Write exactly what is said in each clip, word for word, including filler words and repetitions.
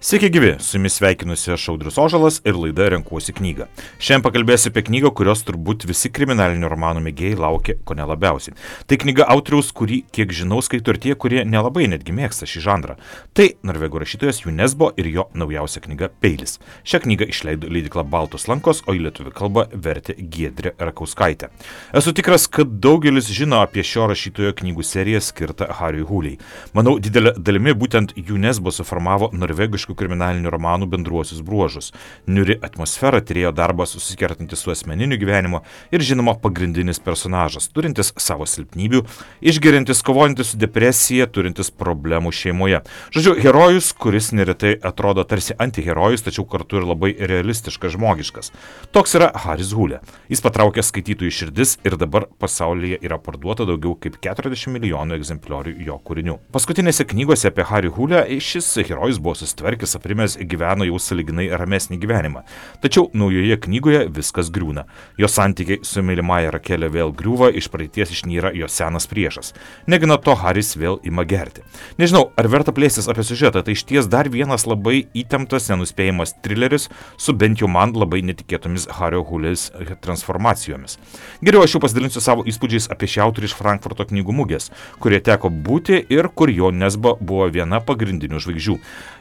Sveiki gyvi, su jumis sveikinusi aš Audrius Ožalas ir laida Renkuosi knygą. Šiandien pakalbėsiu apie knygą, kurios turbūt visi kriminalinių romanų mėgėjai laukia ko ne labiausiai. Tai knyga autoriaus, kurį, kiek žinau, skaito ir tie, kurie nelabai netgi mėgsta šį žanrą. Tai norvegų rašytojas Junesbo ir jo naujausia knyga Peilis. Šią knygą išleido leidykla Baltos lankos, o į lietuvių kalbą vertė Giedrė Rakauskaitė. Esu tikras, kad daugelis žino apie šio rašytojo knygų seriją skirtą Hariui Huliai. Manau, didelė dalimi būtent Junesbo suformavo norvegiškų kriminalinių romanų bendruosius bruožus. Niuri atmosfera, tyrėjo darbas susikertantis su asmeniniu gyvenimu ir žinoma pagrindinis personažas, turintis savo silpnybių, išgeriantis, kovojantis su depresija, turintis problemų šeimoje. Žodžiu, herojus, kuris neretai atrodo tarsi antiherojus, tačiau kartu ir labai realistiškas žmogiškas. Toks yra Haris Hulė. Jis patraukė skaitytojų širdis ir dabar pasaulyje yra parduota daugiau kaip keturiasdešimt milijonų egzempliorių jo kūrinių. Paskutinėse knygose apie Harį Hulę šis herojus buvo susitvarkęs, aprimęs, gyveno jau sąlyginai ramesnį gyvenimą. Tačiau naujoje knygoje viskas griūna. Jo santykiai su mylimąja Rakelė vėl griūva, iš praeities išnyra jo senas priešas. Negana to, Haris vėl ima gerti. Nežinau, ar verta plėstis apie siužetą, tai išties dar vienas labai įtemptas, nenuspėjamas trileris su bent jau man labai netikėtomis Hario Hulės transformacijomis. Geriau aš jau pasidalinsiu savo įspūdžiais apie šį autorių iš Frankfurto knygų mugės, kurie teko būti ir kur jo Nesbo buvo viena pagrindinių žvaigždžių.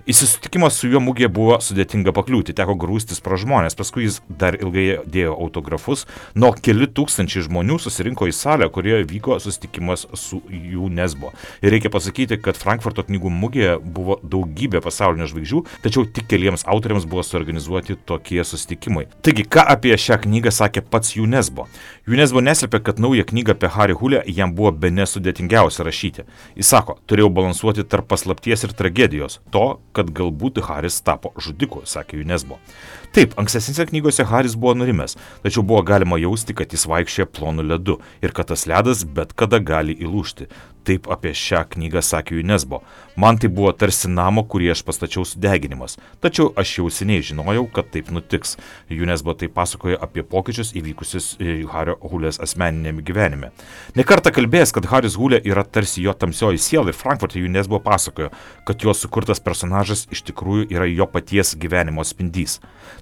Į susitikimą su juo mugėje buvo sudėtinga pakliūti, teko grūstis pro žmonės, paskui jis dar ilgai dėjo autografus, nuo keli tūkstančiai žmonių susirinko į salę, kurioje vyko susitikimas su jų Nesbo. Ir reikia pasakyti, kad Frankfurto knygų mugėje buvo daugybė pasaulinių žvaigždžių, tačiau tik keliems autoriams buvo suorganizuoti tokie susitikimai. Taigi, ką apie šią knygą sakė pats Junesbo? Junesbo neslėpė, kad naują knygą apie Harį Hulę jam buvo bene sudėtingiausia rašyti. Jis sako, turėjau balansuoti tarp paslapties ir tragedijos, to, kad galbūt Haris tapo žudiku, sakė Junesbo. Taip, ankstesnėse knygose Haris buvo nurimęs, tačiau buvo galima jausti, kad jis vaikščioja plonu ledu ir kad tas ledas bet kada gali įlūžti. Taip apie šią knygą sakė Junesbo. Man tai buvo tarsi namo, kurį aš pastačiau sudeginimas, tačiau aš jau seniai žinojau, kad taip nutiks. Junesbo tai pasakoja apie pokyčius įvykusius Hario Hulės asmeninėme gyvenime. Nekartą kalbėjęs, kad Haris Hulė yra tarsi jo tamsioji siela ir Frankfurte Junesbo pasakojo, kad jo sukurtas personažas iš tikrųjų yra jo paties gyvenimo spindys.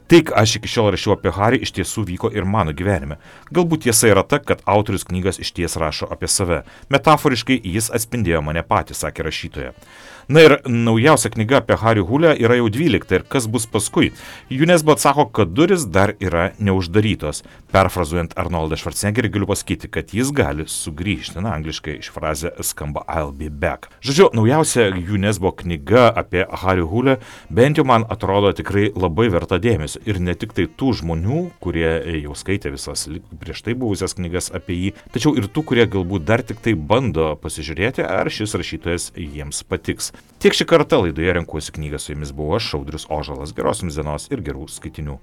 Tai, ką aš iki šiol rašiau apie Harį, iš tiesų vyko ir mano gyvenime. Galbūt tiesa yra ta, kad autorius knygas iš ties rašo apie save. Metaforiškai jis atspindėjo mane patį, sakė rašytoja. Na ir naujausia knyga apie Harį Hulę yra jau dvylikta ir kas bus paskui. Junesbo atsako, kad duris dar yra neuždarytos. Perfrazuojant Arnoldą Schwarzeneggerį galiu pasakyti, kad jis gali sugrįžti. Na, angliškai ši frazė skamba I'll be back. Žodžiu, naujausia Junesbo knyga apie Harį Hulę bent jau man atrodo tikrai labai verta dėmesio. Ir ne tik tai tų žmonių, kurie jau skaitė visas prieš tai buvusias knygas apie jį, tačiau ir tų, kurie galbūt dar tik tai bando pasižiūrėti, ar šis rašytojas jiems patiks. Tiek šį kartą laidoje Renkuosi knygą, su jumis buvau aš, Audrius Ožalas. Geros jums dienos ir gerų skaitinių.